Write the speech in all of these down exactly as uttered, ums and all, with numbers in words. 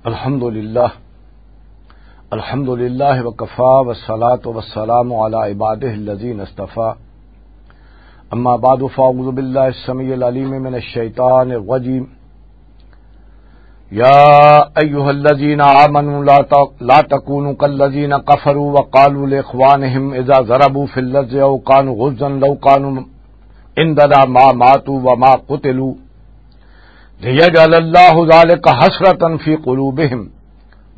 الحمد لله. الحمد لله وكفى، والصلاة والسلام على عباده الذين اصطفى. أما بعد، فأعوذ بالله السميع العليم من الشيطان الرجيم. يا أيها الذين آمنوا لا ت-، لا تكونوا كالذين كفروا وقالوا لإخوانهم إذا ضربوا في الأرض أو كانوا غزا لو كانوا عندنا ما ماتوا وما قتلوا ليجعل الله ذلك حسرة في قلوبهم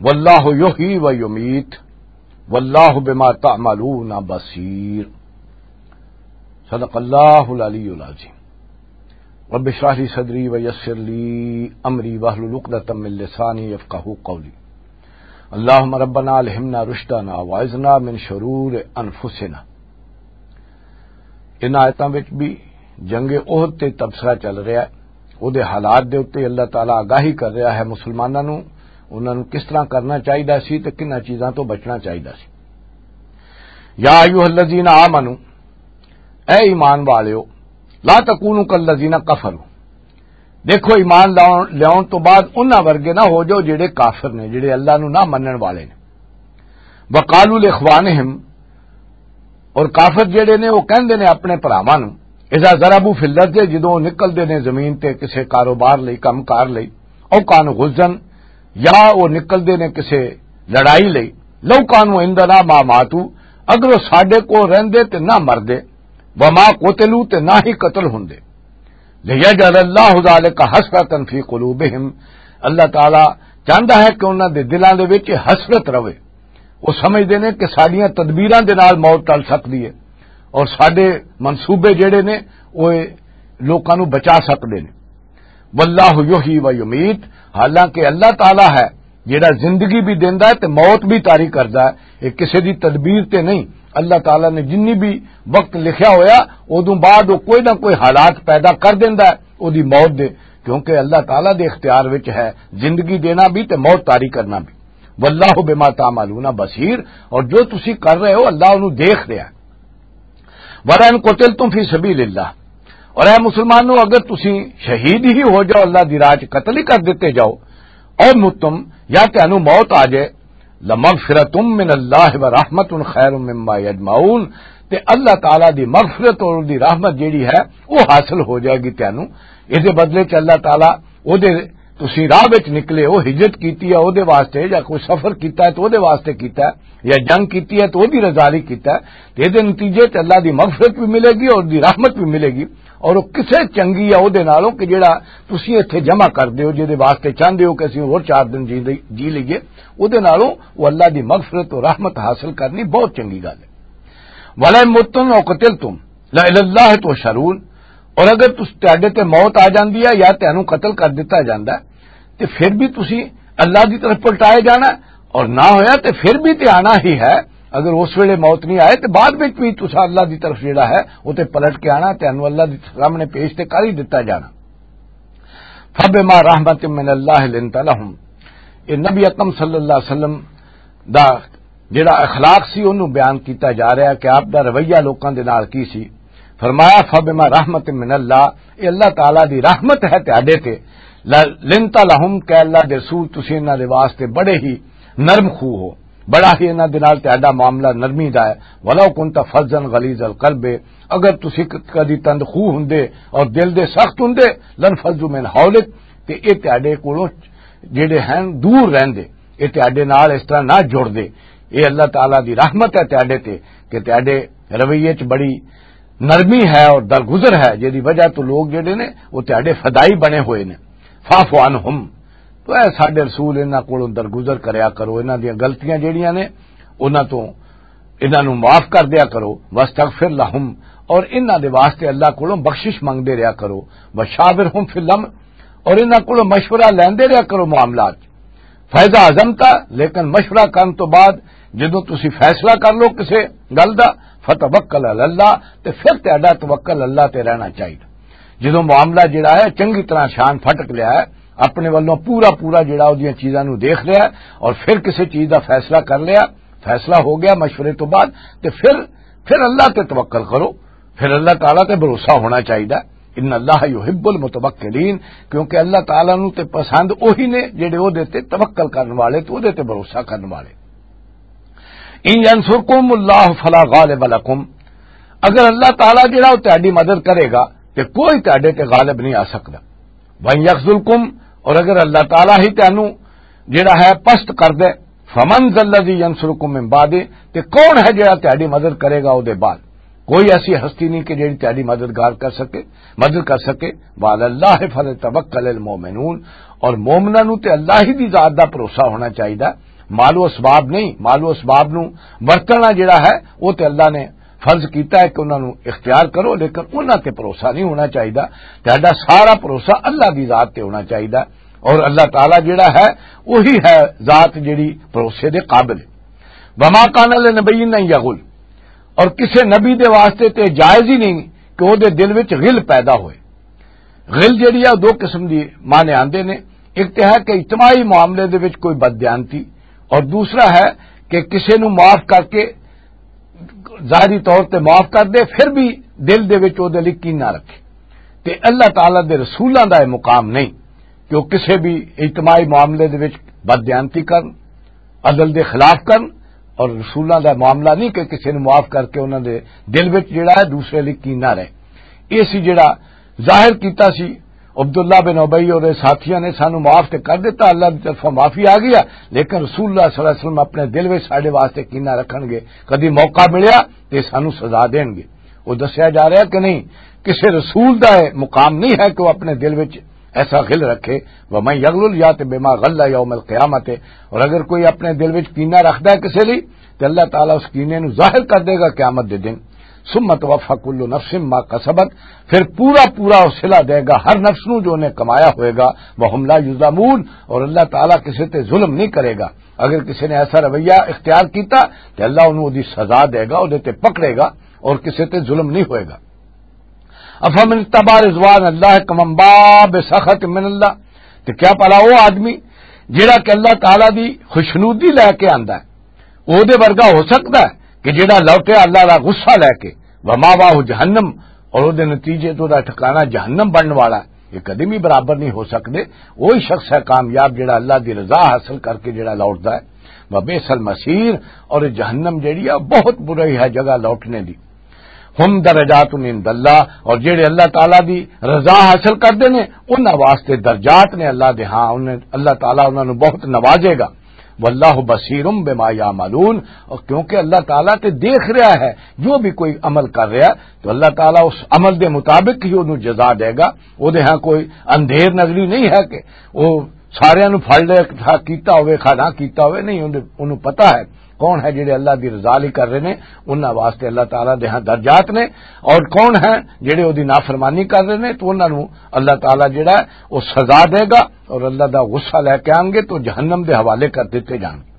والله يحيي ويميت والله بما تعملون بصير. صدق الله العلي العظيم. رب اشرح لي صدري ويسر لي أمري واحلل عقدة من لساني يفقهوا قولي. اللهم ربنا ألهمنا رشدنا وأعذنا من شرور أنفسنا. ان آیتاں وچ بھی جنگ احد تے تبصرہ چل رہا ہے، او دے حالات دے اُتے اللہ تعالیٰ آگاہی کر رہا ہے مسلماناں نوں، انہاں نوں کس طرح کرنا چاہیدا سی تے کناں چیزاں تو بچنا چاہیدا سی۔ یا ایھا الذین آمنو، اے ایمان والیو، لا تکونوا کالذین کفروا، دیکھو، ایمان لاؤن، لیاؤن تو بعد انہاں ورگے نہ ہو جاؤ جڑے کافر نے، جڑے اللہ نو نہ منن والے نے۔ وقالوا لاخوانہم، اور کافر جڑے نے، وہ کہندے نے اپنے بھراواں نو، اذا ضربوا فی الارض، جدوں وہ نکلدے نے زمین تے کسے کاروبار لئی، کم کار لئی، او کانوا غزا، یا وہ نکلدے نے کسے لڑائی لئی، لو کانوا عندنا ما ماتوا، اگر وہ ساڈے کول رہندے تے نہ مردے، وما قتلوا، تے نہ ہی قتل ہوندے۔ لیجعل اللہ ذلک حسرۃ فی قلوبہم، اللہ تعالیٰ چاہندا ہے کہ انہاں دے دلاں دے وچ حسرت رہے۔ وہ سمجھدے نے کہ ساڈیاں تدبیراں دے نال موت ٹل سکدی ہے اور ساڈے منصوبے جڑے نے، وہ لوکاں نوں بچا سکدے نے۔ واللہ یحیی و یمیت، حالانکہ اللہ تعالیٰ ہے جڑا زندگی بھی دیندا ہے تے موت بھی طاری کردا ہے۔ یہ کسے دی تدبیر تے نہیں، اللہ تعالیٰ نے جنی بھی وقت لکھیا ہویا، اودوں بعد وہ کوئی نہ کوئی حالات پیدا کر دیندا ہے اودی موت دے، کیونکہ اللہ تعالیٰ دے اختیار وچ ہے زندگی دینا بھی تے موت طاری کرنا بھی۔ واللہ بما تعملون بصیر، اور جو تسی کر رہے ہو، اللہ انہوں دیکھ رہا ہے۔ وَلَئِن قُتِلْتُمْ فِي سَبِيلِ اللَّهِ، اور اے مسلمانوں، اگر تسی شہید ہی ہو جاؤ، اللہ دی راہ چ قتل ہی کر دتے جاؤ، او متم، یا تانوں موت آ جائے، لَمَغْفِرَةٌ مِّنَ اللَّهِ وَرَحْمَةٌ خَيْرٌ مِّمَّا يَجْمَعُونَ، تے اللہ تعالیٰ دی مغفرت اور دی رحمت جیڑی ہے، وہ حاصل ہو جائے گی تانوں۔ اس دے بدلے چ اللہ تعالیٰ او دے تسی راہ وچ نکلے ہو، ہجرت کیتی ہے او دے واسطے، یا کوئی سفر کیتا ہے تو او دے واسطے کیتا ہے، یا جنگ کیتی ہے تو او دی رضا لئی کیتا ہے، تے اے دے نتیجے تے اللہ دی مغفرت بھی ملے گی اور دی رحمت بھی ملے گی۔ اور او کسے چنگی ہے او دے نالوں کہ جڑا تسی ایتھے جمع کر دیو، جے دے واسطے چاہندے ہو کہ اسی ہور چار دن جی، جی لئیے، او دے نالوں او اللہ دی مغفرت و رحمت حاصل کرنی بہت چنگی گل ہے۔ وَلَئِن مُتُّمْ أَوْ قُتِلْتُمْ لَإِلَى اللَّهِ تُحْشَرُونَ، اور اگر تس، تہاڈے تے موت آ جاندی ہے یا تہانوں قتل کر دتا جاندا ہے، تے پھر بھی تسی اللہ دی طرف پلٹائے جانا ہے، اور نہ ہویا تے پھر بھی تے آنا ہی ہے۔ اگر اس ویلے موت نہیں آئے تے بعد وچ بھی تسا اللہ دی طرف جڑا ہے، وہ تے پلٹ کے آنا، تہانوں اللہ دی سامنے پیش تے کر ہی دتا جانا۔ فَبِمَا رَحْمَةٍ مِّنَ اللَّهِ لِنْتَ لَهُمْ، یہ نبی اکرم صلی اللہ علیہ وسلم دا جڑا اخلاق سی، اونوں بیان کیتا جا رہا ہے کہ آپ دا رویہ لوکاں دے نال کی سی۔ فرمایا، فَبِمَا رَحْمَةٍ مِّنَ اللَّهِ، اے اللہ تعالیٰ دی رحمت ہے تہاڈے تے۔ لَنْتَ لَهُمْ، کہ اللہ دے رسول، تسی انہاں دے واسطے بڑے ہی نرم خو ہو، بڑا ہی انہاں دے نال تہاڈا معاملہ نرمی دا ہے۔ وَلَوْ كُنْتَ فَظًّا غَلِيظَ الْقَلْبِ، اگر تسی ک-، کدی تند خو ہوندے اور دل دے سخت ہوندے، لَانْفَضُّوا مِنْ حَوْلِكَ، تے اے تہاڈے کولوں جڑے ہیں دور رہندے، اے تہاڈے نال اس طرح نہ جڑدے۔ اے اللہ تعالیٰ دی رحمت ہے تہاڈے تے کہ تہاڈے رویے چ بڑی نرمی ہے اور درگزر ہے، جدی وجہ تو لوگ جڑے نے، وہ تہاڈے فدائی بنے ہوئے نے۔ فَاعْفُ عَنْهُمْ، تو اے ساڈے رسول، انہاں کولوں درگزر کریا کرو، انہاں دیاں غلطیاں جڑیاں نے، انہاں تو، انہاں نوں معاف کر دیا کرو۔ وَاسْتَغْفِرْ لَهُمْ، اور انہاں دے واسطے اللہ کولوں بخشش منگدے رہیا کرو۔ وَشَاوِرْهُمْ فِي الْأَمْرِ، اور انہاں کولوں مشورہ لیندے رہیا کرو معاملات۔ فَإِذَا عَزَمْتَ، لیکن مشورہ کرن تو بعد جدوں تسی فیصلہ کر لو کسے گل دا، فَتَوَكَّلْ عَلَى اللَّهِ، تے پھر تہاڈا توکل اللہ تے رہنا چاہیے۔ جدوں معاملہ جڑا ہے چنگی طرح شان پھٹک لیا ہے، اپنے ولوں پورا پورا جڑا اودیاں چیزاں نوں دیکھ لیا ہے اور پھر کسے چیز دا فیصلہ کر لیا، فیصلہ ہو گیا مشورے تو بعد، تے پھر، پھر اللہ تے توکل کرو، پھر اللہ تعالیٰ تے بھروسہ ہونا چاہیے۔ ان اللہ یحب المتوکلین، کیونکہ اللہ تعالیٰ نو تے پسند وہی نے جڑے او دے تے توکل کرن والے، تے او دے تے بھروسہ کرن والے۔ ان ینصرکم اللہ فلا غالب لکم، اگر اللہ تعالیٰ جڑا او تہاڈی مدد کرے گا تے کوئی تہاڈے تے غالب نہیں آ سکدا۔ وان یخذلکم، اور اگر اللہ تعالیٰ ہی تینوں جڑا ہے پست کر دے، فمن ذا الذی ینصرکم من بعدہ، تے کون ہے جڑا تہاڈی مدد کرے گا او دے بعد؟ کوئی ایسی ہستی نہیں کہ جڑی تہاڈی مددگار کر سکے، مدد کر سکے۔ وعلی اللہ فلیتوکل المؤمنون، اور مومناں نو تے اللہ ہی دی ذات دا بھروسہ ہونا چاہیدا، مال و اسباب نہیں۔ مال و اسباب نو ورتنا جڑا ہے او تے اللہ نے فرض کیتا ہے کہ انہاں نو اختیار کرو، لیکن انہاں تے بھروسہ نہیں ہونا چاہیدا۔ تہاڈا سارا بھروسہ اللہ دی ذات تے ہونا چاہیدا، اور اللہ تعالیٰ جڑا ہے وہی ہے ذات جڑی بھروسے دے قابل ہے۔ وما کان لنبی ان یغل، اور کسے نبی دے واسطے تے جائز ہی نہیں کہ او دے دل وچ غل پیدا ہوئے۔ غل جڑی ہے، دو قسم دی معنی آندے نے۔ ایک تے ہے کہ اجتماعی معاملے دے وچ کوئی بددیانتی، اور دوسرا ہے کہ کسے نو معاف کر کے، ظاہری طور تے معاف کر دے، پھر بھی دل دے وچ او دے لئی کینہ رکھے۔ تے اللہ تعالیٰ دے رسولاں دا یہ مقام نہیں کہ وہ کسے بھی اجتماعی معاملے دے وچ بددیانتی کرن، عدل دے خلاف کرن، اور رسولاں دا معاملہ نہیں کہ کسے نوں معاف کر کے انہاں دے دل وچ جڑا ہے دوسرے لئی کینہ رہے۔ یہ سی جڑا ظاہر کیتا سی عبداللہ بن ابی اور ساتھیاں نے، سانو معاف تے کر دیتا، اللہ دی طرفوں معافی آ گیا، لیکن رسول اللہ صلی اللہ علیہ وسلم اپنے دل وچ ساڈے واسطے کینہ رکھن گے، کدی موقع ملیا تے سانو سزا دین گے۔ وہ دسیا جا رہا کہ نہیں، کسے رسول دا یہ مقام نہیں ہے کہ وہ اپنے دل وچ ایسا غل رکھے۔ ومن یغلل یات بما غل یوم القیامت، اور اگر کوئی اپنے دل وچ کینہ رکھدا ہے کسے لئی، تے اللہ تعالیٰ اس کینے نو ظاہر کر دے گا قیامت دے دن۔ ثم توفی کل نفس ما کسبت، پھر پورا پورا وہ صلہ دے گا ہر نفس نو جو انہیں کمایا ہوئے گا۔ وہم لا یظلمون، اور اللہ تعالیٰ کسے تے ظلم نہیں کرے گا۔ اگر کسے نے ایسا رویہ اختیار کیتا تے اللہ انہوں دی سزا دے گا، اودے تے پکڑے گا، اور کسے تے ظلم نہیں ہوئے گا۔ افمن اتبع رضوان اللہ کمن باء بسخط من اللہ، تے کیا پڑا وہ آدمی جڑا کہ اللہ تعالیٰ دی خوشنودی لے کے آندا ہے، او دے ورگا ہو سکدا ہے کہ جڑا لوٹے اللہ دا غصہ لے کے؟ وماواہ جہنم، اور او دے نتیجے تو دا ٹھکانہ جہنم بنن والا ہے۔ یہ کدی بھی برابر نہیں ہو سکدے۔ وہی شخص ہے کامیاب جڑا اللہ دی رضا حاصل کر کے جڑا لوٹدا ہے۔ وبئس المصیر، اور یہ جہنم جڑی ہے بہت بری ہے جگہ لوٹنے دی۔ ہم درجات عند اللہ، اور جڑے اللہ تعالیٰ دی رضا حاصل کردے نے، انہاں واسطے درجات نے اللہ دے ہاں، انہیں، اللہ تعالیٰ انہاں نوں بہت نوازے گا۔ واللہ بصیر بما یعملون، اور کیونکہ اللہ تعالیٰ تے دیکھ رہا ہے جو بھی کوئی عمل کر رہا ہے، تو اللہ تعالیٰ اس عمل دے مطابق ہی انہوں جزا دے گا۔ او دے ہاں کوئی اندھیر نظری نہیں ہے کہ وہ سارے نو پھڑ لے، کھا کیتا ہوئے، کھا نہ کیتا ہوئے، نہیں، انہوں، انہوں پتا ہے کون ہے جڑے اللہ دی رضا لئی کر رہے نے، انہاں واسطے اللہ تعالیٰ دے ہاں درجات نے، اور کون ہے جڑے او دی نافرمانی کر رہے نے، تو انہاں نو اللہ تعالیٰ جڑا ہے، او سزا دے گا، اور اللہ دا غصہ لے کے آنگے تو جہنم دے حوالے کر دیتے جان گے۔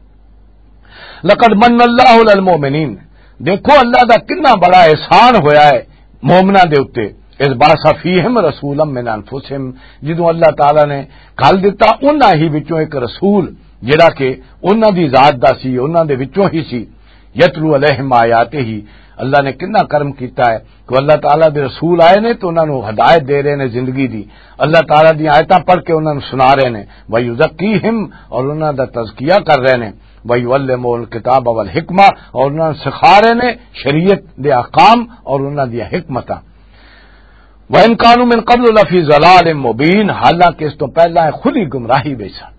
لقد من اللہ علی المؤمنین، دیکھو اللہ دا کتنا بڑا احسان ہویا ہے مومناں دے اُتے۔ اذ بعث فیہم رسولا من انفسہم، جدوں اللہ تعالیٰ نے گھل دتا انہاں ہی وچوں ایک رسول، جڑا کہ انہاں دی ذات دا سی، انہاں دے وچوں ہی سی۔ یتلو علیہم آیاتہ، اللہ نے کتنا کرم کیتا ہے کہ اللہ تعالیٰ دے رسول آئے نے تو انہاں نوں ہدایت دے رہے نے زندگی دی، اللہ تعالیٰ دی آیتاں پڑھ کے انہاں نوں سنا رہے نے۔ ویزکیہم، اور انہاں دا تزکیہ کر رہے نے۔ وَيُعَلِّمُهُمُ الْكِتَابَ وَالْحِكْمَةَ، اور انہاں نوں سکھا رہے نے شریعت دے احکام اور انہاں دی حکمتاں۔ وَإِن كَانُوا مِن قَبْلُ لَفِي ضَلَالٍ مُّبِينٍ، حالانکہ اس تو پہلا یہ خود ہی گمراہی وچ سن۔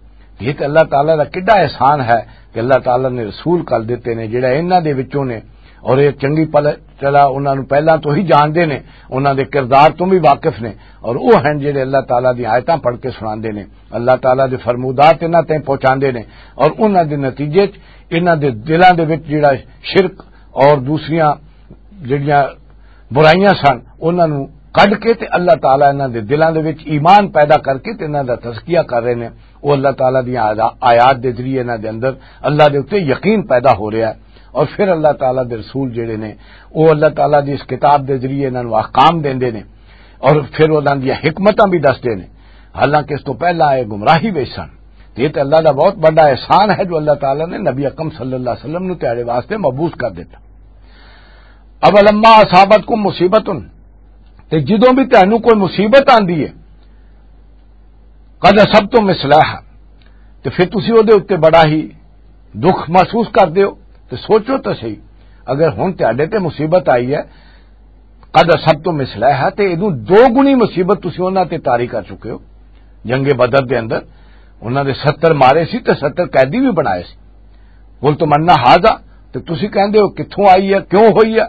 یہ تے اللہ تعالیٰ دا کڈا احسان ہے کہ اللہ تعالیٰ نے رسول کر دیتے نے، جڑا انہاں دے وچوں نے، اور یہ چنگی پل-، چلا انہاں نوں پہلاں تو ہی جاندے نے، انہاں دے کردار تو بھی واقف نے، اور وہ ہیں جڑے اللہ تعالیٰ دی آیتاں پڑھ کے سناندے نے، اللہ تعالیٰ دے فرمودات انہاں تائیں پہنچاندے نے، اور انہاں دے نتیجے چ انہاں دے دلاں دے وچ جڑا شرک اور دوسریاں جڑیاں برائیاں سن، انہاں نوں کڈ کے تے اللہ تعالیٰ انہاں دے دلاں دے وچ ایمان پیدا کر کے تے انہاں دا تزکیہ کر رہے نے۔ وہ اللہ تعالیٰ دیاں آیا-، آیات دے ذریعے انہاں دے اندر اللہ دے اُتے یقین پیدا ہو رہا ہے، اور پھر اللہ تعالیٰ دے رسول جڑے نے، وہ اللہ تعالیٰ دی اس کتاب دے ذریعے انہاں نوں احکام دیندے نے، اور پھر انہاں دیاں حکمتاں بھی دسدے نے۔ حالانکہ اس تو پہلا یہ گمراہی وچ سن۔ تے یہ تے اللہ دا بہت بڑا احسان ہے جو اللہ تعالیٰ نے نبی اکرم صلی اللہ علیہ وسلم نوں تیارے واسطے مبعوث کر دیتا۔ اولما اصابتکم مصیبت، تے جدوں بھی تانوں کوئی مصیبت آندی ہے، قد اصبتم مثلها، تے پھر تسی او دے اُتے بڑا ہی دکھ محسوس کردے ہو۔ تے سوچو تے صحیح، اگر ہن تہاڈے تے مصیبت آئی ہے، قد اصبتم مثلها، تے ایدوں دو گنی مصیبت تسی انہاں تے طاری کر چکے ہو۔ جنگ بدر دے اندر انہاں دے ستر مارے سی تے ستر قیدی بھی بنائے سی۔ قلتم ان هذا، تے تسی کہندے ہو کتھوں آئی ہے، کیوں ہوئی ہے؟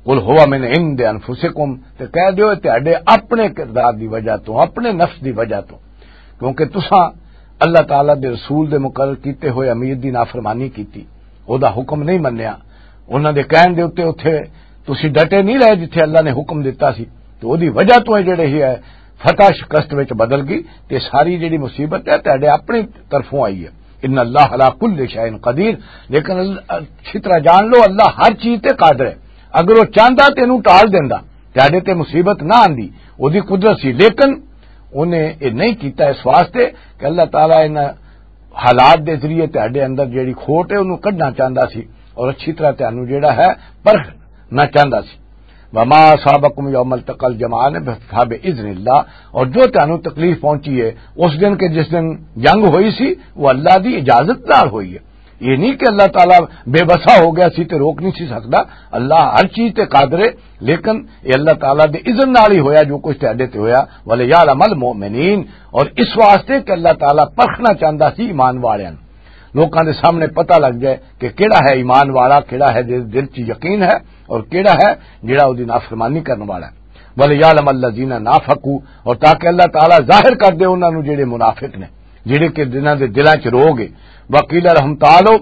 قل هو من عند انفسکم، تے کہہ دیو اے تہاڈے اپنے کردار دی وجہ تو، اپنے نفس دی وجہ تو، کیونکہ تساں اللہ تعالیٰ دے رسول دے مقرر کیتے ہوئے امیر دی نافرمانی کیتی، او دا حکم نہیں منیا، انہاں دے کہن دے اُتے اُتھے تسی ڈٹے نہیں رہے جتھے اللہ نے حکم دتا سی، تے او دی وجہ تو اے جڑے ہی ہے فتح شکست وچ بدل گئی، تے ساری جڑی مصیبت ہے تہاڈے اپنی طرفوں آئی ہے۔ ان اللہ علی کل شیء قدیر، لیکن اللہ، اچھی طرح جان لو، اللہ ہر چیز تے قادر ہے۔ اگر وہ چاہندا تے اینوں ٹال دیندا، تہاڈے تے مصیبت نہ آندی، او دی قدرت سی، لیکن انہیں یہ نہیں کیتا اس واسطے کہ اللہ تعالیٰ ان حالات دے ذریعے تہاڈے اندر جیڑی کھوٹ ہے، انہوں کڈنا چاہندا سی اور اچھی طرح تہانوں جیڑا ہے پرکھنا چاہندا سی۔ وما اصابکم یوم التقى الجمعان فباذن اللہ، اور جو تہانوں تکلیف پہنچی ہے اس دن کہ جس دن جنگ ہوئی سی، وہ اللہ دی اجازت نال ہوئی ہے۔ یہ نہیں کہ اللہ تعالیٰ بے بسا ہو گیا سی تے روک نہیں سی سکدا۔ اللہ ہر چیز تے قادر ہے، لیکن یہ اللہ تعالیٰ دے اذن نال ہی ہویا جو کچھ تہاڈے تے ہویا۔ وَلِيَعْلَمَ الْمُؤْمِنِينَ، اور اس واسطے کہ اللہ تعالیٰ پرکھنا چاہندا سی ایمان والیاں نوں، لوکاں دے سامنے پتہ لگ جائے کہ کیڑا ہے ایمان والا، کیڑا ہے جس دل چ یقین ہے، اور کیڑا ہے جڑا اودی نافرمانی کرن والا ہے۔ وَلِيَعْلَمَ الَّذِينَ نَافَقُوا، اور تاکہ اللہ تعالیٰ ظاہر کر دے انہاں نوں جڑے منافق نے، جڑے کہ جنہاں دے دلاں چ روگ ہے۔ وَقِيلَ لَهُمْ تَعَالَوْا،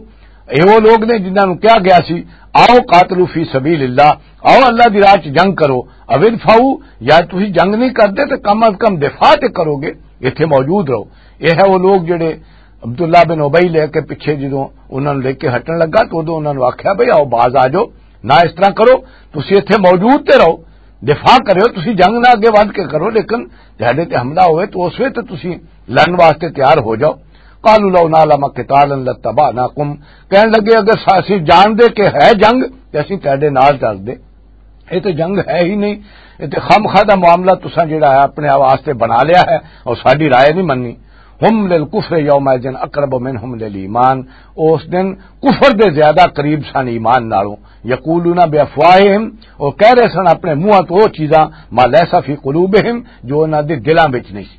اے وہ لوگ نے جنہاں نوں کہا گیا سی، آؤ قاتلوا فی سبیل اللہ، آؤ اللہ دی راہ چ جنگ کرو، او ادفعوا، یا تسی جنگ نہیں کردے تے کم از کم دفاع تے کرو گے، ایتھے موجود رہو۔ یہ ہے وہ لوگ جڑے عبداللہ بن ابی لے کے پیچھے جدوں انہاں نوں لے کے ہٹن لگا تو ادوں انہاں نوں آکھیا، بھئی آؤ باز آ جاؤ، نہ اس طرح کرو، تسی ایتھے موجود تے رہو، دفاع کرو، تسی جنگ نہ اگے ودھ کے کرو، لیکن جہاں تے حملہ ہوئے تو اس وقت تسی لڑن واسطے تیار ہو جاؤ۔ قالوا لو نعلم قتالا لاتبعناکم، کہن لگے اگر سا- اسی جان دے کہ ہے جنگ تے اسی تیرے نال چل دے۔ یہ تو جنگ ہے ہی نہیں، یہ تو خامخواہ دا معاملہ تساں جڑا ہے اپنے واسطے بنا لیا ہے اور ساڈی رائے نہیں مننی۔ ہم للکفر یومئذ اقرب منہم للایمان، اس دن کفر دے زیادہ قریب سن ایمان نالوں۔ یقولون بافواہہم، اور کہہ رہے سن اپنے منہاں تو وہ چیزاں، ما لیس فی قلوبہم، جو انہاں دے دلاں وچ نہیں سی۔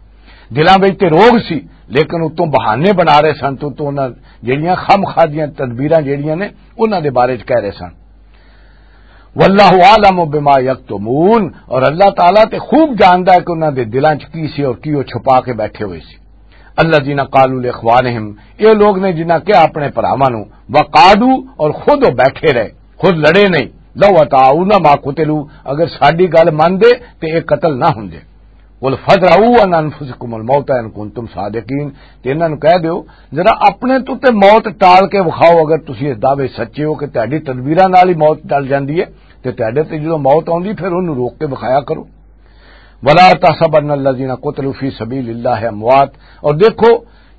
دلاں وچ تے روگ سی، لیکن اتوں بہانے بنا رہے سن، تو تو انہاں جڑیاں خامخواہ دیاں تدبیراں جڑیاں نے، انہاں دے بارے چ کہہ رہے سن۔ واللہ اعلم بما یکتمون، اور اللہ تعالیٰ تے خوب جاندا ہے کہ انہاں دے دلاں چ کی سی اور کی وہ چھپا کے بیٹھے ہوئے سی۔ الذین قالوا لاخوانہم، یہ لوگ نے جنہاں کہا اپنے بھراواں نوں، وقعدوا، اور خود وہ بیٹھے رہے، خود لڑے نہیں۔ لو اطاعونا ما قتلوا، اگر ساڈی گل من دے تے یہ قتل نہ ہوندے۔ قل فادرؤوا عن انفسکم الموت ان کنتم صادقین، تے انہاں نوں کہہ دیو، ذرا اپنے تو تے موت ٹال کے وکھاؤ، اگر تسی اس دعوے سچے ہو کہ تہاڈی تدبیراں نال ہی موت ٹل جاندی ہے، تے تہاڈے تے جدوں موت آوندی پھر اونوں روک کے وکھایا کرو۔ ولا تحسبن الذین قتلوا فی سبیل اللہ اموات، اور دیکھو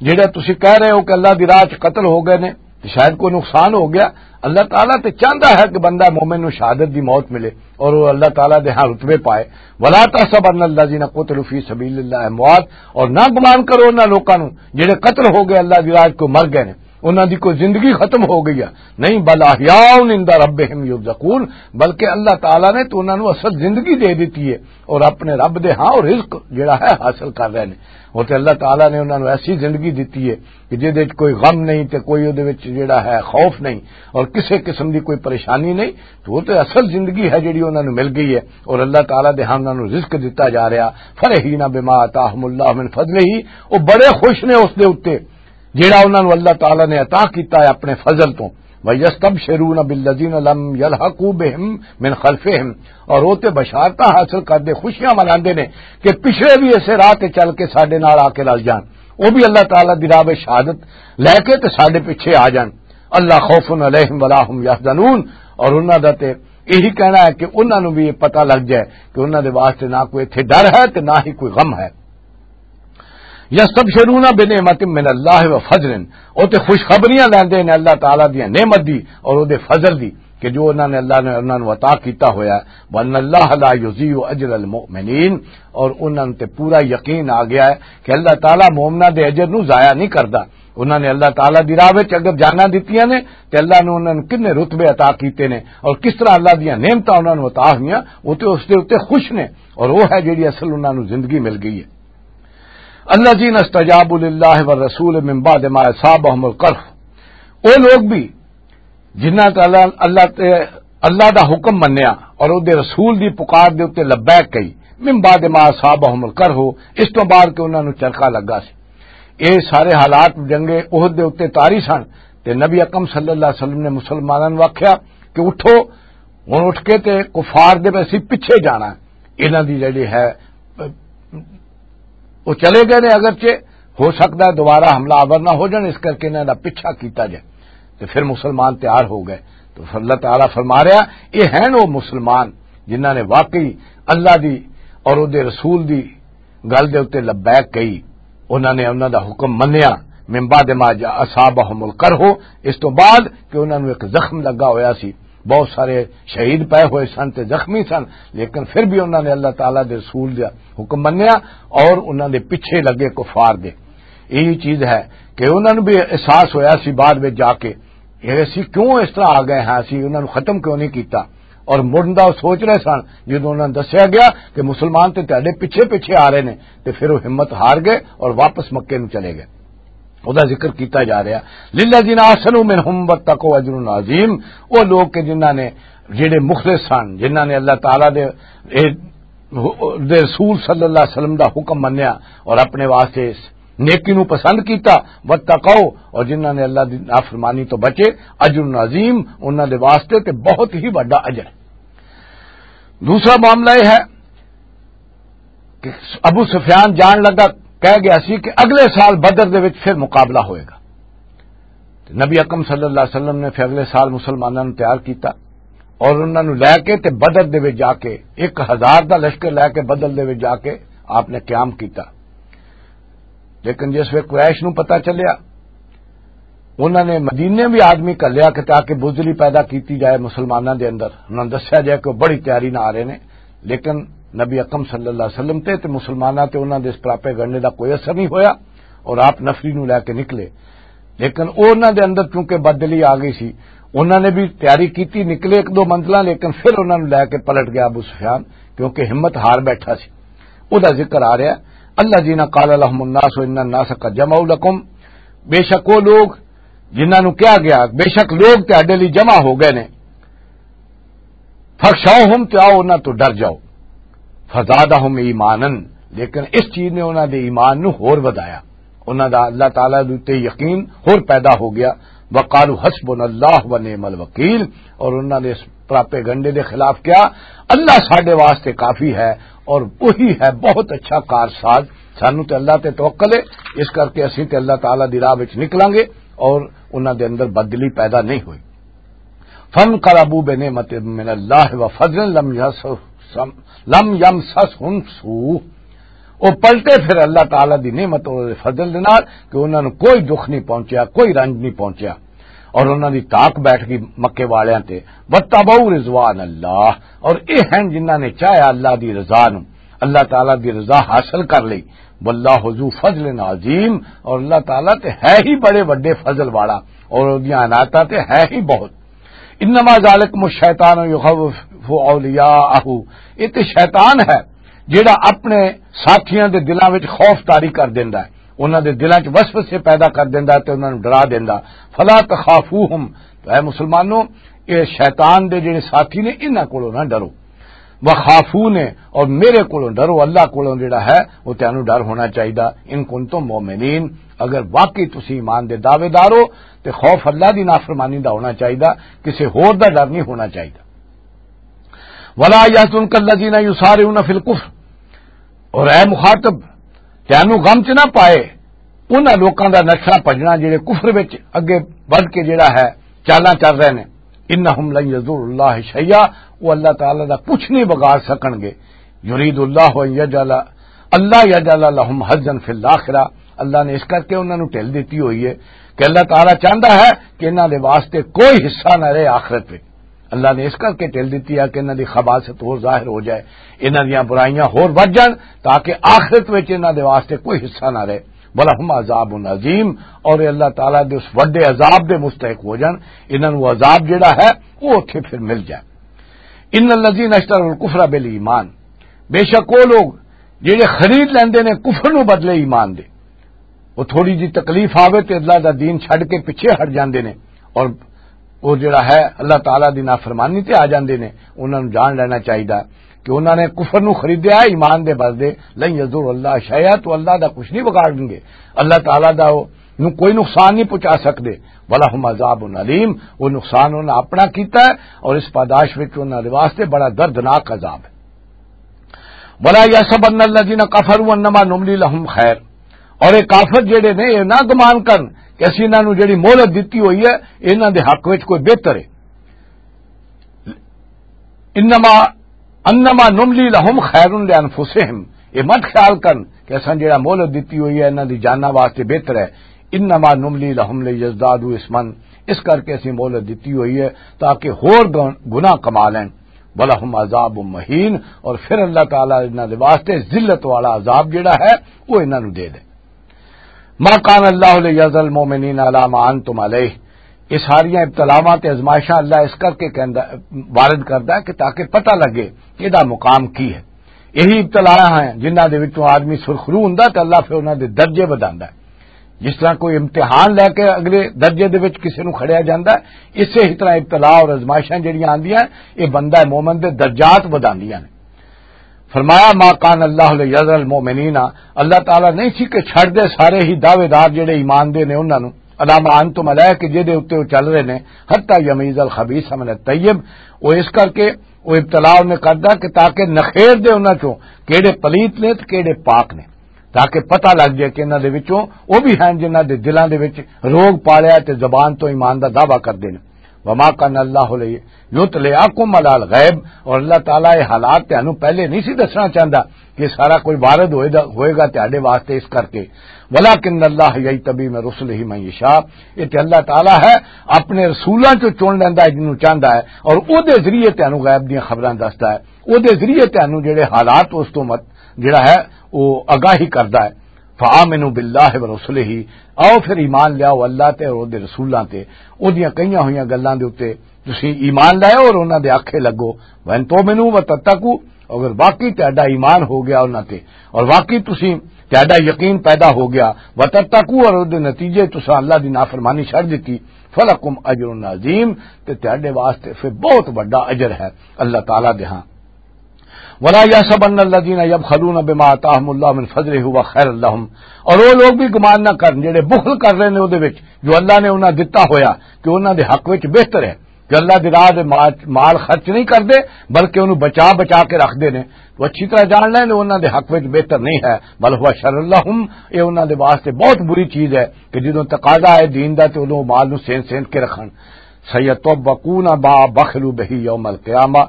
جڑے تسی کہہ رہے ہو کہ اللہ دی راہ چ قتل ہو گئے نے، تے شاید کوئی نقصان ہو گیا۔ اللہ تعالیٰ تے چاہندا ہے کہ بندہ مومن نوں شہادت دی موت ملے اور وہ اللہ تعالیٰ دے ہاں رتبے پائے۔ ولا تحسبن الذین قتلوا فی سبیل اللہ اموات، اور نہ گمان کرو انہاں لوکاں نوں جڑے قتل ہو گئے اللہ دی راہ چ، کوئی مر گئے نے، انہاں دی کوئی زندگی ختم ہو گئی ہے، نہیں، بل احیاء عند ربہم یرزقون، بلکہ اللہ تعالیٰ نے تو انہاں نوں اصل زندگی دے دتی ہے اور اپنے رب دے ہاں رزق جڑا ہے حاصل کر رہے نے۔ اور تے اللہ تعالیٰ نے انہاں نوں ایسی زندگی دتی ہے کہ جہدے وچ کوئی غم نہیں تے کوئی اودے وچ جڑا ہے خوف نہیں، اور کسے قسم دی کوئی پریشانی نہیں۔ تو وہ تے اصل زندگی ہے جڑی انہاں نوں مل گئی ہے، اور اللہ تعالیٰ دے ہاں انہاں نوں رزق دتا جا رہا۔ فرحین بما آتاہم اللہ من فضلہ، وہ بڑے خوش نے اس دے اُتے جڑا انہاں نوں اللہ تعالیٰ نے عطا کیتا ہے اپنے فضل تو۔ وَيَسْتَبْشِرُونَ بِالَّذِينَ لَمْ يَلْحَقُوا بِهِمْ مِنْ خَلْفِهِمْ، اور وہ تے بشارتاں حاصل کردے، خوشیاں مناندے نے کہ پچھلے بھی اسے راہ تے چل کے ساڈے نال آ کے رل جان، وہ بھی اللہ تعالیٰ دی راہ وچ شہادت لے کے تے ساڈے پیچھے آ جان۔ الا خوف علیہم ولا هم يحزنون، اور انہاں دا تے یہی کہنا ہے کہ انہاں نوں بھی یہ پتہ لگ جائے کہ انہاں دے واسطے نہ کوئی اتھے ڈر ہے تے نہ ہی کوئی غم ہے۔ یستبشرون بنعمت من اللہ و فضل، او تے خوشخبریاں لیندے نے اللہ تعالیٰ دی نعمت دی اور او دے فضل دی۔ کہ جو انہاں نے، اللہ نے انہاں نوں عطا کیتا ہویا ہے۔ وَأَنَّ اللَّهَ لَا يُضِيعُ أَجْرَ الْمُؤْمِنِينَ، اور انہاں تے پورا یقین آ گیا ہے کہ اللہ تعالیٰ مومناں دے اجر نوں ضائع نہیں کردا۔ انہاں نے اللہ تعالیٰ دی راہ وچ اگر جاناں دتیاں نے تے اللہ نے انہاں نوں کنے رتبے عطا کیتے نے، اور کس طرح اللہ دیاں نعمتاں انہاں نوں عطا ہوئیاں، وہ تے اس دے اُتے خوش نے، اور وہ ہے جڑی اصل انہاں نوں زندگی مل گئی ہے۔ الذين استجابوا لله والرسول من بعد ما أصابهم القرح، وہ لوگ بھی جنہاں تے اللہ، اللہ تے، اللہ دا حکم منیا اور او دے رسول دی پکار دے اُتے لبیک کہی، من بعد ما اصابهم القرح، اس تو بعد کہ انہاں نوں چرخا لگا سی۔ اے سارے حالات جنگ احد دے اُتے طاری سن، تے نبی اکرم صلی اللہ علیہ وسلم نے مسلماناں نوں آکھیا کہ اٹھو، ہن اٹھ کے تے کفار دے ویسے پیچھے جانا ہے۔ انہاں دی جڑی ہے، وہ چلے گئے نے، اگرچہ ہو سکتا ہے دوبارہ حملہ آور نہ ہو جان، اس کر کے انہاں دا پیچھا کیتا جائے۔ تو پھر مسلمان تیار ہو گئے۔ تو اللہ تعالیٰ فرما رہا، یہ ہیں وہ مسلمان جنہاں نے واقعی اللہ دی اور او دے رسول دی گل دے اُتے لبیک کہی، انہاں نے انہاں دا حکم منیا۔ من بعد ما جاء اصابهم القرح، اس تو بعد کہ انہاں نوں ایک زخم لگا ہویا سی، بہت سارے شہید پے ہوئے سن تے زخمی سن، لیکن پھر بھی انہاں نے اللہ تعالیٰ دے رسول دا حکم منیا اور انہاں دے پیچھے لگے کفار دے۔ یہی چیز ہے کہ انہاں نوں بھی احساس ہویا سی بعد وچ جا کے کہ اسی کیوں اس طرح آ گئے ہاں، اسی انہاں نوں ختم کیوں نہیں کیتا؟ اور مڑن دا سوچ رہے سن، جدوں انہاں نوں دسیا گیا کہ مسلمان تے تہاڈے پیچھے پیچھے آ رہے نے، تے پھر وہ ہمت ہار گئے اور واپس مکے نوں چلے گئے۔ او دا ذکر کیتا جا رہا، للذین احسنوا منہم واتقوا اجر عظیم۔ وہ لوگ کہ جنہاں نے، جڑے مخلص سن، جنہاں نے اللہ تعالیٰ دے، اے، دے رسول صلی اللہ علیہ وسلم دا حکم منیا اور اپنے واسطے اس نیکی نو پسند کیتا، واتقوا، اور جنہاں نے اللہ دی نافرمانی تو بچے، اجر عظیم، انہاں دے واسطے تے بہت ہی بڑا اجر ہے۔ دوسرا معاملہ یہ ہے کہ ابو سفیان جان لگا، کہہ گیا سی کہ اگلے سال بدر دے وچ پھر مقابلہ ہوئے گا۔ تے نبی اکرم صلی اللہ علیہ وسلم نے پھر اگلے سال مسلماناں نوں تیار کیتا اور انہاں نوں لے کے تے بدر دے وچ جا کے، ایک ہزار دا لشکر لے کے بدر دے وچ جا کے آپ نے قیام کیتا۔ لیکن جس ویلے قریش نوں پتہ چلیا، انہاں نے مدینے بھی آدمی گھلیا کہ تاکہ بزدلی پیدا کیتی جائے مسلماناں دے اندر، انہاں نوں دسیا جائے کہ وہ بڑی تیاری نہ آ رہے نے۔ لیکن نبی اکرم صلی اللہ علیہ وسلم تے، تے مسلماناں تے انہاں دے اس پراپیگنڈے دا کوئی اثر نہیں ہویا اور آپ نفری نوں لے کے نکلے۔ لیکن انہاں دے اندر چونکہ بددلی آ گئی سی، انہاں نے بھی تیاری کیتی، نکلے ایک دو منزلاں، لیکن پھر انہاں نوں لے کے پلٹ گیا ابو سفیان، کیونکہ ہمت ہار بیٹھا سی۔ او دا ذکر آ رہا ہے، الذین قال لهم الناس ان الناس قد جمعوا لكم، بے شک وہ لوگ جنہاں نوں کہا گیا، بے شک لوگ تہاڈے لئی جمع ہو گئے نے، فخشوہم، تے آؤ انہاں تو ڈر جاؤ، فزادہم ایمانا، لیکن اس چیز نے انہاں دے ایمان نوں ہور ودایا، انہاں دا اللہ تعالیٰ دے اُتے یقین ہور پیدا ہو گیا۔ وقالوا حسبنا اللہ و نعم الوکیل، اور انہاں نے اس پراپیگنڈے دے خلاف کیا، اللہ ساڈے واسطے کافی ہے اور وہی ہے بہت اچھا کارساز، سانوں تے اللہ تے توکل ہے، اس کر کے اسیں تے اللہ تعالیٰ دی راہ وچ نکلاں گے اور انہاں دے اندر بدلی پیدا نہیں ہوئی۔ فانقلبوا بنعمت من اللہ و فضل لم یمسسہم، لم یمسسہم سوء، وہ پلٹے پھر اللہ تعالیٰ دی نعمت اور فضل دے نال کہ انہاں نوں کوئی دکھ نہیں پہنچیا، کوئی رنج نہیں پہنچیا، اور انہاں دی تاک بیٹھ گئی مکے والیاں تے۔ واتبعوا رضوان اللہ، اور یہ ہیں جنہاں نے چاہیا اللہ دی رضا نوں، اللہ تعالیٰ دی رضا حاصل کر لئی۔ واللہ ذو فضل عظیم، اور اللہ تعالیٰ تے ہے ہی بڑے وڈے فضل والا، اور اودیاں عنایتاں تے ہے ہی بہت۔ انما ذالکم الشیطان یخوف اولیاءہ، یہ تے شیطان ہے جڑا اپنے ساتھیاں دے دلاں وچ خوف طاری کر دیندا ہے، انہاں دے دلاں وچ وسوسے پیدا کر دیندا ہے تے انہاں نوں ڈرا دیندا۔ فلا تخافوہم، تو اے مسلمانوں، اے شیطان دے جڑے ساتھی نے، انہاں کولوں نہ ڈرو۔ وخافون، اور میرے کولوں ڈرو، اللہ کولوں جڑا ہے وہ تینوں ڈر ہونا چاہیدا۔ ان کنتم مؤمنین، اگر واقعی تسی ایمان دے دعوے دار ہو تے خوف اللہ دی نافرمانی دا ہونا چاہیدا، کسے ہور دا ڈر نہیں ہونا چاہیدا۔ ولا يحزنك الذين يسارعون في الكفر، اور اے مخاطب، تینوں غم چ نہ پائے انہاں لوکاں دا نسنا بھجنا جڑے کفر وچ اگے ودھ کے جڑا ہے چالاں چل رہے نے۔ انہم لن یضروا اللہ شیئا، وہ اللہ تعالیٰ دا کچھ نہیں بگاڑ سکن گے۔ یرید اللہ ان یجعل، اللہ یجعل لہم حظا فی الاخرہ، اللہ نے اس کر کے انہاں نوں ڈھل دتی ہوئی ہے کہ اللہ تعالیٰ چاہندا ہے کہ انہاں دے واسطے کوئی حصہ نہ رہے آخرت وچ۔ اللہ نے اس کر کے ٹل دتی ہے کہ انہاں دی خباثت ہور ظاہر ہو جائے، انہاں دیاں برائیاں ہور ودھ جان، تاکہ آخرت وچ انہاں دے واسطے کوئی حصہ نہ رہے۔ وَلَهُمْ عَذَابٌ عَظِيمٌ، اور یہ اللہ تعالیٰ دے اس وڈے عذاب دے مستحق ہو جان، انہاں نوں عذاب جڑا ہے، وہ اتھے پھر مل جائے۔ ان الذین اشتروا الکفر بالایمان، بے شک وہ لوگ جڑے خرید لیندے نے کفر نو بدلے ایمان دے، وہ تھوڑی جی تکلیف آوے تے اللہ دا دین چھڈ کے پیچھے ہٹ جاندے نے، اور وہ جڑا ہے اللہ تعالیٰ دی نافرمانی تے آ جاندے نے۔ انہاں نوں جان لینا چاہیدا کہ انہاں نے کفر نو خریدیا ہے ایمان دے بدلے۔ لن یضر اللہ شیئا، تو اللہ دا کچھ نہیں بگاڑن گے، اللہ تعالیٰ دا وہ نوں کوئی نقصان نہیں پہنچا سکدے۔ وَلَهُمْ عَذَابٌ أَلِيمٌ، وہ نقصان انہاں اپنا کیتا ہے، اور اس پاداش وچ انہاں دے واسطے بڑا دردناک عذاب ہے۔ وَلَا يَحْسَبَنَّ الَّذِينَ كَفَرُوا أَنَّمَا نُمْلِي لَهُمْ خَيْرٌ، اور یہ کافر جڑے نے، یہ نہ گمان کرن کہ اسی انہاں نوں جڑی مہلت دتی ہوئی ہے، انہاں دے حق وچ کوئی بہتر ہے۔ انما، انما نملی لہم خیر لانفسہم، یہ مت خیال کرن کہ اساں جڑا مہلت دتی ہوئی ہے انہاں دی جاناں واسطے بہتر ہے۔ انما نملی لہم لیزدادوا اثما، اس کر کے اسی مہلت دتی ہوئی ہے تاکہ ہور گن-، گناہ کما لین۔ ولہم عذاب مہین، اور پھر اللہ تعالیٰ انہاں دے واسطے ذلت والا عذاب جڑا ہے، وہ انہاں نوں دے دے۔ ما کان اللہ لیذر المؤمنین علی ما انتم علیہ، یہ ساریاں ابتلاواں تے آزمائشاں اللہ اس کر کے کہندا، وارد کردا ہے کہ تاکہ پتہ لگے کہ دا مقام کی ہے۔ یہی ابتلاواں ہیں جنہاں دے وچوں آدمی سرخرو ہوندا تے اللہ پھر انہاں دے درجے ودھاندا ہے۔ جس طرح کوئی امتحان لے کے اگلے درجے دے وچ کسے نوں کھڑیا جاندا ہے، اسے ہی طرح ابتلا اور آزمائشاں جڑیاں آندیاں، یہ بندہ مومن دے درجات ودھاندیاں نے۔ فرمایا، ما کان اللہ لیذر المؤمنین، اللہ تعالیٰ نہیں سی کہ چھڑ دے سارے ہی دعوے دار جڑے ایمان دے نے انہاں نوں، علی ما انتم علیہ، کہ جے دے اُتے وہ چل رہے نے، حتی یمیز الخبیث من الطیب، وہ اس کر کے وہ ابتلا انہیں کردا کہ تاکہ نخیر دے انہاں چوں کیڑے پلیت نے تے کیڑے پاک نے، تاکہ پتہ لگ جائے کہ انہاں دے وچوں وہ بھی ہیں جنہاں دے دلاں دے وچ روگ پالیا تے زبان تو ایمان دا دعویٰ کردے نے۔ وما کان اللہ لیطلعکم علی الغیب، اور اللہ تعالیٰ یہ حالات تانوں پہلے نہیں سی دسنا چاہندا کہ سارا کوئی وارد ہوئے دا، ہوئے گا تہاڈے واسطے، اس کر کے۔ ولکن اللہ یجتبی من رسلہ من یشاء، یہ تے اللہ تعالیٰ ہے اپنے رسولاں چوں چن لیندا ہے جنوں چاہندا ہے، اور او دے ذریعے تانوں غیب دیاں خبراں دسدا ہے، او دے ذریعے تانوں جڑے حالات اس تو مت جڑا ہے وہ آگاہی کردا ہے۔ فآمنوا باللہ ورسلہ، آؤ پھر ایمان لیاؤ اللہ تے اور دے رسولاں تے، او دیاں کئیاں ہوئیاں گلاں دے اُتے تسی ایمان لاؤ اور انہاں دے آکھے لگو۔ وَإِن تُؤْمِنُوا وَتَتَّقُوا، اگر واقعی تہاڈا ایمان ہو گیا انہاں تے، اور واقعی تسی، تہاڈا یقین پیدا ہو گیا، وَتَتَّقُوا، اور دے نتیجے تساں اللہ دی نافرمانی چھڈ دتی، فَلَكُمْ أَجْرٌ عَظِيمٌ، تے تہاڈے واسطے پھر بہت بڑا اجر ہے اللہ تعالیٰ دے ہاں۔ ولا يحسبن الذين يبخلون بما آتاهم الله من فضله هو خير لهم، اور وہ لوگ بھی گمان نہ کرن جڑے بخل کر رہے نے، او دے وچ جو اللہ نے انہاں دتا ہویا کہ انہاں دے حق وچ بہتر ہے، کہ اللہ دی راہ دے مال، مال خرچ نہیں کردے، بلکہ انہوں بچا بچا کے رکھ دے نے۔ تو اچھی طرح جان لیں انہاں دے حق وچ بہتر نہیں ہے، بل هو شر لهم، یہ انہاں دے واسطے بہت بری چیز ہے کہ جدوں تقاضا ہے دین دا تے انہوں مال نوں سین سین کے رکھن۔ سیطبقون ما بخلوا به یوم القیامہ،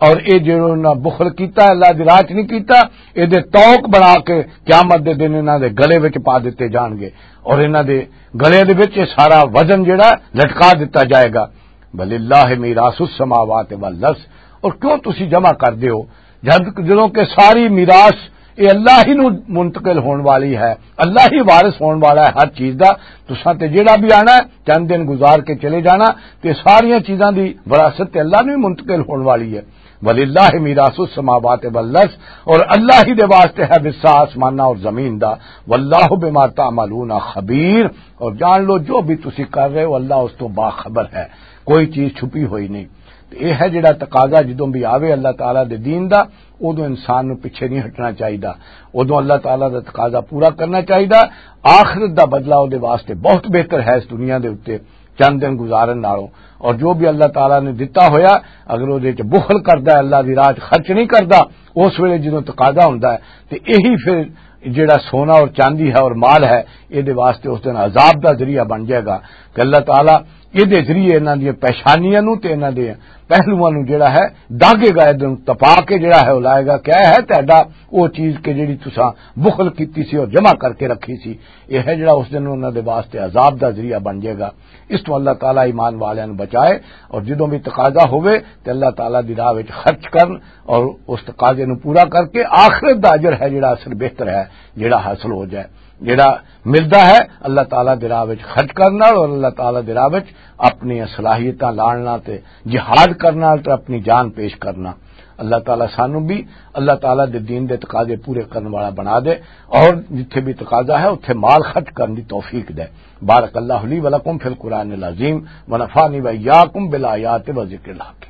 اور اے جڑو انہاں بخل کیتا، اللہ دی راہ چ نہیں کیتا، اے دے توک بنا کے قیامت دے دن انہاں دے گلے وچ پا دتے جان گے، اور انہاں دے گلے دے وچ اے سارا وزن جڑا لٹکا دتا جائے گا۔ وللہ میراث السماوات والارض، اور کیوں تسی جمع کر دیو جد، جدوں کہ ساری میراث یہ اللہ ہی نو منتقل ہون والی ہے، اللہ ہی وارث ہون والا ہے ہر چیز دا۔ تساں تے جیڑا بھی آنا ہے، چند دن گزار کے چلے جانا، تے ساریاں چیزاں دی وراثت تے اللہ نو ہی منتقل ہون والی ہے۔ وللہ میراث السماوات والارض، اور اللہ ہی دے واسطے ہے حصہ آسماناں اور زمین دا۔ واللہ بما تعملون خبیر، اور جان لو جو بھی تسی کر رہے ہو اللہ اس تو باخبر ہے، کوئی چیز چھپی ہوئی نہیں۔ تے یہ ہے جڑا تقاضا جدوں بھی آوے اللہ تعالیٰ دے دین دا، ادوں انسان نوں پیچھے نہیں ہٹنا چاہیدا، ادوں اللہ تعالیٰ دا تقاضا پورا کرنا چاہیدا۔ آخرت دا بدلہ اودے واسطے بہت بہتر ہے اس دنیا دے اُتے چند دن گزارن نالوں۔ اور جو بھی اللہ تعالیٰ نے دتا ہویا، اگر اودے وچ بخل کردا ہے، اللہ دی راہ وچ خرچ نہیں کردا، اس ویلے جدوں تقاضا ہوندا ہے، تے یہی پھر جڑا سونا اور چاندی ہے اور مال ہے، اے دے واسطے اس دن عذاب دا ذریعہ بن جائے گا کہ اللہ تعالیٰ اے دے ذریعے انہاں دیاں پیشانیاں نوں تے انہاں دے پہلوواں نوں جڑا ہے، داغے گا، ادھر تپا کے جڑا ہے، وہ لائے گا۔ کیا ہے تہاڈا وہ چیز کہ جڑی تساں بخل کیتی سی اور جمع کر کے رکھی سی؟ یہ ہے جڑا اس دن انہاں دے واسطے عذاب دا ذریعہ بن جائے گا۔ اس تو اللہ تعالیٰ ایمان والیاں نوں بچائے، اور جدوں بھی تقاضا ہوئے تے اللہ تعالیٰ دی راہ وچ خرچ کرن، اور اس تقاضے نوں پورا کر کے آخرت دا اجر ہے جڑا اصل بہتر ہے، جڑا حاصل ہو جائے، جڑا ملدا ہے اللہ تعالیٰ دی راہ وچ خرچ کرن نال اور اللہ تعالیٰ دی راہ وچ اپنی صلاحیتاں لان نال تے جہاد کرن نال تے اپنی جان پیش کرنا۔ اللہ تعالیٰ سانوں بھی اللہ تعالیٰ دے دین دے تقاضے پورے کرن والا بنا دے، اور جتھے بھی تقاضا ہے اتھے مال خرچ کرن دی توفیق دے۔ بارک اللہ لی ولکم فی القرآن العظیم، ونفعنی و ایاکم بالآیات و ذکر الحکیم۔